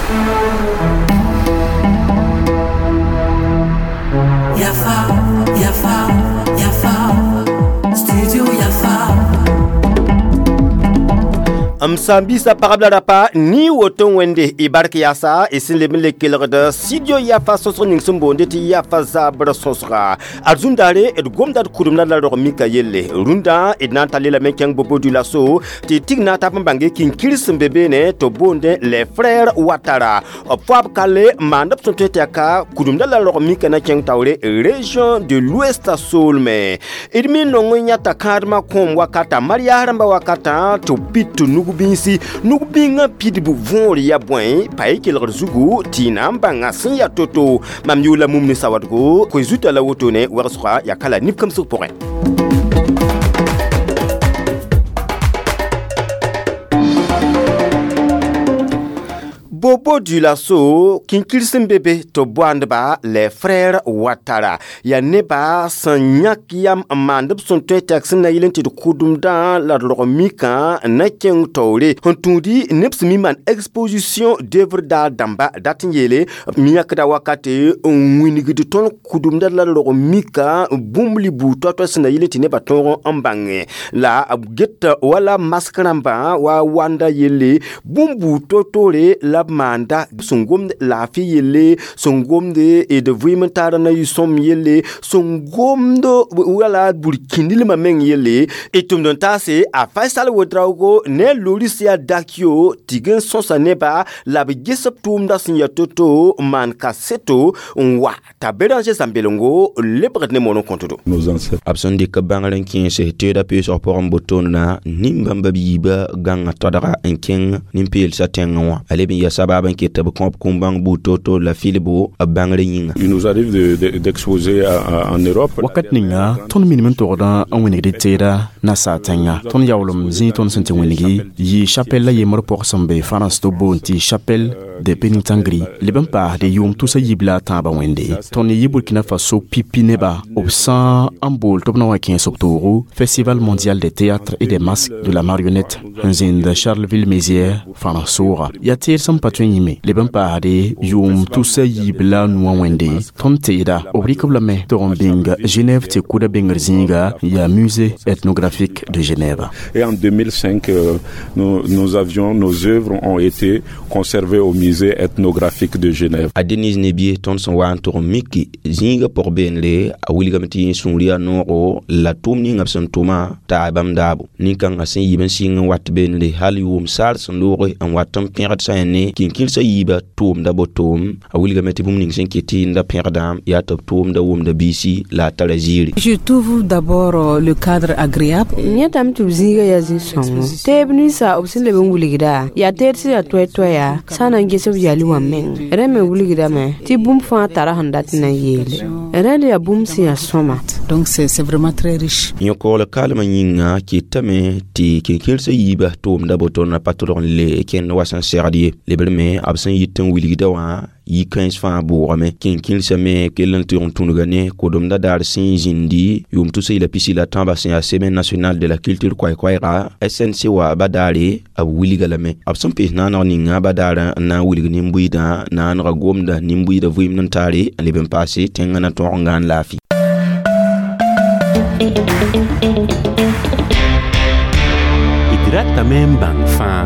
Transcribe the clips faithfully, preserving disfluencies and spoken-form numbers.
Yafa, Yafa, Yafa, Studio Yafa. M sãn-biisã pagb la rapa ni woto wẽnde y bark yaasa y sẽn leb n le kelgd studio Yafa sõsg ning sẽn boonde tɩ Yafa zabr sõsga ad zũndaare d gomda d kʋdemda la rog mika yelle rũndã d na n tar lelame kẽng Bobo Dioulasso tɩ tig na n tab n bãnge kĩnkir sẽn be beene tɩ b boonde les frères Ouattara b foab kalle maand b sẽn tõe tɩ yaa ka kʋdemda la rog mika na kẽng taoore région de l'Ouest soolmẽ d me nong n yãta kãadmã kõom wakata marias rãmbã wakatã tɩ b pid tɩ nug bĩnsi nug bĩngã pidb võor ya bõe pa y kelgd zugu tɩ y na n bãnga sẽn ya to-to mam yʋʋla mum ne sawadgo koe zuta la wotone wegsga yaa ka la nib-kemsg pʋgẽ. Bobo Dioulasso kĩnkir sẽn be be tɩ b boandba les frères Ouattara yaa neba sẽn yãk yam n maand b sẽn tõe tɩ yak sẽn na yɩl n tɩ d kʋdemdã la d rog mikã na kẽng taoore sẽn tũudi neb sẽn mi maan exposition d'œuvre d'art dãmba dat n yeele m yãkda wakate n wingd tõnd kʋdemdã la d rog mikã bũmb li buud toa-toa sẽn na yɩl n tɩ nebã tõog n bãngẽ la b get wala mask rãmbã wa wanda yelle bũmb buud to-toore la b maanda sẽn gomd laafɩ yelle sẽn gomde d vɩɩm n taara na yɩ-sõm yelle sẽn gomd wala burkĩndilmã meng yelle d tʋmd n taase a Faisal Ouedraogo ne Lorisia Dakio tɩg n sõsa neba la b ges b tʋʋmdã sẽn yaa to-to n maan kaseto n wa t'a Béranger Zãmbelengo lebgd ne moon n kõtdo. B sẽn dɩk bãngr n kẽese teedã peesg pʋgẽ n botoonda nin-bãmba biiba gãnga tadga n kẽng nin-peelsã tẽngẽ wã a leb n yaa sabab n ket b kõb kũm-bãng buud to-to la filbo b bãngr yĩnga. Il nous arrive de, de, d'exposer en Europe. Wakat ninga tõnd minim n togdã n wĩnigd teeda nasaar tẽnga tõnd yaoolem zĩig tõnd sẽn tɩ wĩnigi yɩ chapelle la yembr pʋg sẽn be France tɩ b boond tɩ chapelle de Pénitengri leb n paasde yʋʋm tusa yib la a tãabã wẽnde tõnd yɩ Burkina Faso pipi neba b sã n bool tɩ b na wa kẽes b toogo Festival mondial des théâtres et des masques de la marionnette n zĩnd Charleville-Mézières France sooga yaa teed sẽn pa tõe n yĩme leb n paasde yʋʋm tusa yiib la a nuwã wẽnde tõnd teeda b rɩk b lame tɩg n bĩng Genève tɩ kʋda bengr zĩiga yaa musée ethnographique de Genève. Et en deux mille cinq, euh, nous, nous avions, nos œuvres ont été conservées au musée ethnographique de Genève. A Denise Nebier tõnd sẽn wa n tʋg n miki zĩigã pʋg beenre a wilgame tɩ yẽ sũur yaa noogo la tʋʋm ninga b sẽn tʋma t'a bãmb daabo nin-kãngã sẽn yib n sɩng n wat beenre hal yʋʋm saar sẽn looge n wat n pẽgd sã yẽ ne kĩnkĩrsã yiibã tʋʋmda botoom a wilgame tɩ bũmb ning sẽn ket tɩ yẽnda pẽgdã yaa tɩ b tʋʋmda wʋmda biisi la a tara ziiri. Je trouve d'abord le cadre agréable. Yẽtame tɩ b zĩiga yaa zĩ-sõngo teeb ninsã b sẽn leb n wilgda yaa teed sẽn yaa toɛ-toɛya sã na n ges b yali wã meng rẽ me wilgdame tɩ bũmb fãa tara sẽn dat n na n yeele rẽnd yaa bũmb sẽn yaa sõma. Donc c'est c'est vraiment très riche. Yõkoogl kalmã yĩnga ketame tɩ kẽnkẽrsã yiibã tʋʋmda botoornã pa tʋlg n le kẽnd wa sẽn segd ye lebr me b sẽn yit n wilgda wã yi-kãens fãa bʋʋgame kẽnkẽrsã me kell n tʋg n tũnuga ne kʋdemda daar sẽn zĩndi yʋʋm tusa yɩla pisi la tãabã sẽn yaa semaine nationale de la culture koɛɛ-koɛɛga S N C wa ba daare b wilga lame b sẽn pees naaneg ninga ba daar n na n wilg nin-buiidã naanega gomda nin-buiidã vɩɩmd n taare n leb n paase tẽngã na tõog n gãan laafɩ. D ratame n bãng fãa.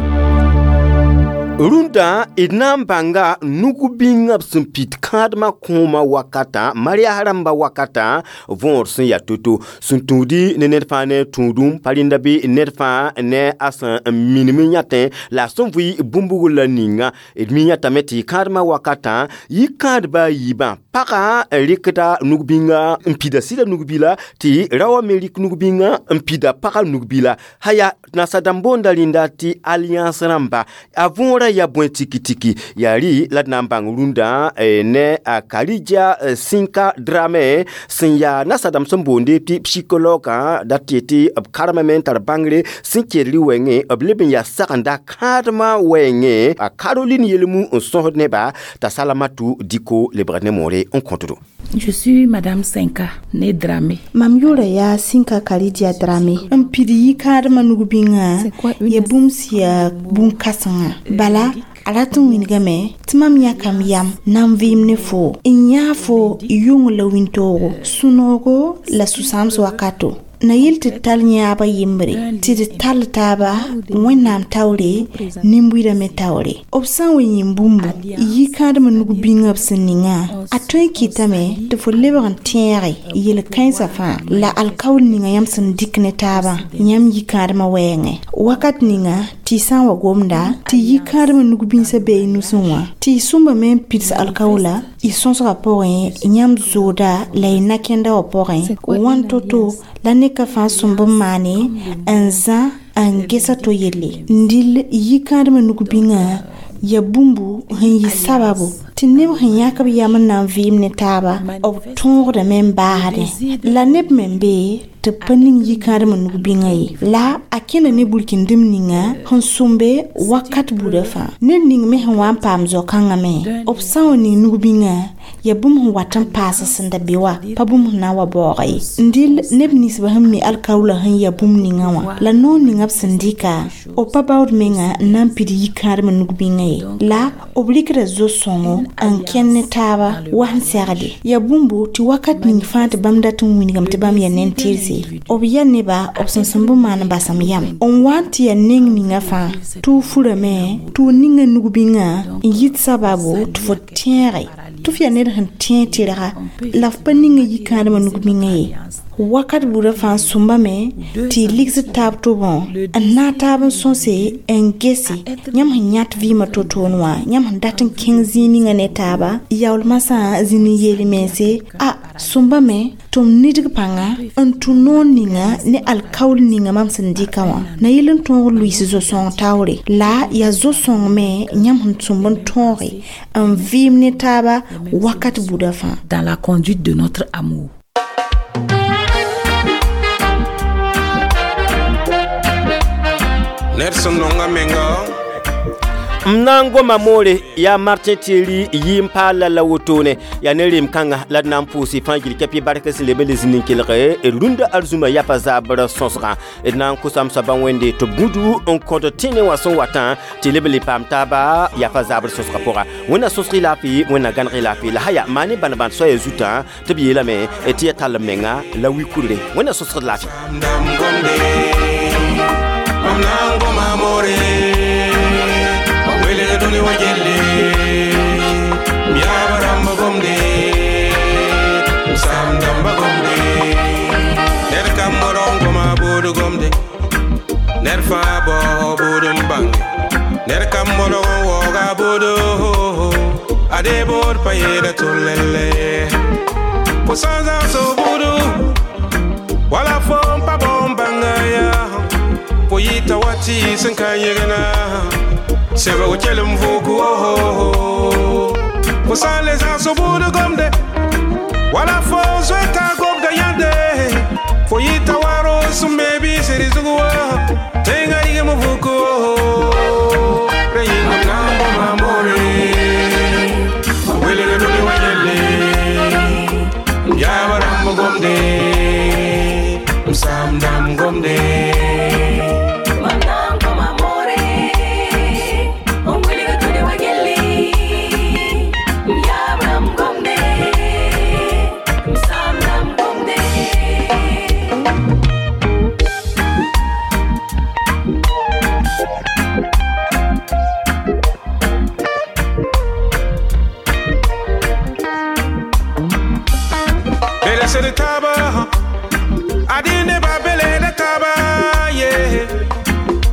Rũndã d na n bãnga nug-bĩngã b sẽn pid kãadmã kõoma wakatã marias rãmbã wakatã võor sẽn yaa to-to sẽn tũudi ne ned fãa ne tũudum pa rẽnda bɩ ned fãa ne a sẽn minim n yãtẽ la a sẽn vɩ bũmb la ninga d mi yãtame tɩ kãadmã wakatã yɩ kãadba a yiibã pagã rɩkda nug-bĩngã n pida sɩda nug-bila tɩ raoã me rɩk nug-bĩngã n pida pagã nug-bila haya nasadãmb boonda rẽnda tɩ alliance rãmba a võorã ya bõe tiki-tiki yaa rɩ la d na n bãng rũndã ne a Karidia Sinka Dramé sẽn yaa nasadãmb sẽn boonde tɩ psychologue dat tɩ tɩ b karemame n tar bãngre sẽn kel rɩ wɛɛngẽ b leb n yaa sagenda kãadmã wɛɛngẽ a Caroline Yelmu n sõsd neba t'a Salamatu Diko lebgd ne moore n kõtdo. Je suis Madame Sinka, née Dramé. Mam yʋʋra yaa Sinka Karidia Dramé n pid yikãadmã nug-bĩngã ya bũmb sẽn yaa bũn-kãsengã bala A rat n wilgame tɩ mam yãkam yam na n vɩɩm ne foo n yãa fo yʋng la wĩntoogo sũ-noogo la sũ-sãams wakato na yɩl tɩ d tall yãabã yembre tɩ d tall taaba wẽnnaam taoore nin-buidã me taoore b sã n wa yĩm bũmbu yikãadmã nug-bĩngã b sẽn ningã a tõe n kɩtame tɩ fo lebg n tẽege yel-kãensã fãa la alkaool ninga yãmb sẽn dɩk ne taabã yãmb yikãadmã wɛɛngẽ wakat ninga tɩ y sã n wa gomda tɩ yikãadmã nug-bĩnsã bee y nusẽ wã tɩ y sõmba me n pids alkaoola y sõsgã pʋgẽ yãmb zooda la y na-kẽnda wã pʋgẽ wãn to-to la ne ka fãa sõmb n maane n zã n gesa to yelle n dɩl yikãadmã nug-bĩngã ya bũmbu sẽn yɩ sababu tɩ neb sẽn yãk b yam n na n vɩɩm ne taaba b tõogdame n baasdẽ la neb me n be tɩ b pa ning yikãadmã nug-bĩngã ye la a kẽnda ne burkĩndem ninga sẽn sõmbe wakat buda fãa ned ning me sẽn wa n paam zao-kãngã me b sã n wa ning nug-bĩngã ya bũmb sẽn wat n paas sẽn da be wa pa bũmb sẽn na n wa baooga ye n dɩl neb ninsbã sẽn mi alkaoola sẽn ya bũmb ninga wã la noor ninga b sẽn dɩka b pa baood menga n na n pid yikãadmã nug-bĩngã ye la b rɩkda zo-sõngo n kẽnd ne taaba wa sẽn segde ya bũmbu tɩ wakat ning fãa tɩ bãmb dat n wilgame tɩ bãmb yaa nen-tɩrse b yaa neba b sẽn sẽn bɩ maan basem yam n wa n tɩ yaa neng ninga fãa tɩ f furame tɩ f ninga nug-bĩngã n yit sababu tɩ fo tẽege tɩ f yaa ned sẽn tẽeg tɩrga la f pa ninga yikãadmã nug-bĩngã ye wakat buudã fãa sõmbame tɩ y ligsd taab tobẽ n naag taab n sõse n gese yãmb sẽn yãt vɩɩmã to-toon wã yãmb sẽn dat n kẽng zĩig ninga ne taaba yaool masã zĩnd n yeel mense a sõmbame tɩ m nidg pãnga n tũ noor ninga ne alkaool ninga mam sẽn dɩka wã na yɩl n tõog luiis zo-sõng taoore la yaa zo-sõng me yãmb sẽn sõmb n tõoge n vɩɩm ne taaba wakat buudã fãa Dans la conduite de notre amour. Ned sẽn nonga menga m na n goma moore yaa Martin Thierry yɩ n paal la la wotone yaa ne rem-kãnga la d na n pʋʋs fãa gil kɛpɩ bark sẽn leb n le zĩnd n kelg d rũndã arzũmã yapa zaabr sõsgã d na n kosam soabã wẽnde tɩ b gũdu n kõt tẽne wã sẽn watã tɩ leb n le paam taaba yapa zaabr sõsgã pʋga wẽnna sõsg y laafɩ wẽnna gãneg y laafɩ la haya maan ne bãn-bãn soaya zutã tɩ b yeelame tɩ ya tall m menga la wi-kudre wẽnna sõsgd laafɩ dam gomde mam na n goma moore welg dũni wã gelle m yaab rãmb gomde m saam dãmba gomde ned kam modg n goma buud gomde ned fãa baoog buud n bãnge ned kam modg n waooga buudo ade bood pa yeeda tʋl-lelle fo sã n zãgs f buudu wala fo n pa bao n bãnga yaa fo yɩta wa tɩ sẽn ka yẽgna sebg kelem vuku fo sã n le zãgs buud gomde wala fo zoeta gomda yãnde fo yɩta wa roos n me biisd zug wa tẽngã rigem vuku re yĩngam na n goma moore welg dũni wã yelle m yaab rãmb gomde m saam dãmb gomde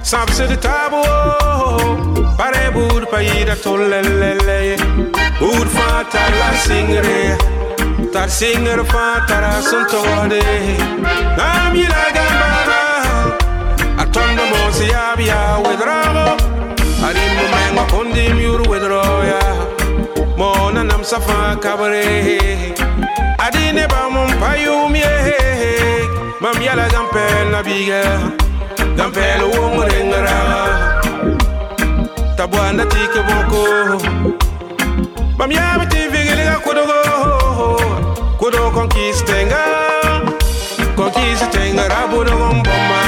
Sab tabo pare bud pa yida tolelele bud fa tar la singre tar singre fa tara sun tode nam yila gambara atondo mo si abia wedrago arim mo mengo kondim yuru wedro ya mo na nam safa kabre adine ba mum payum ye mam yala gampel na biga Gampel wong ringera Tabwana tike boko Mam yabe ti vigili ga kudogo Kudo conquistenga Conquistenga rabudo gomboma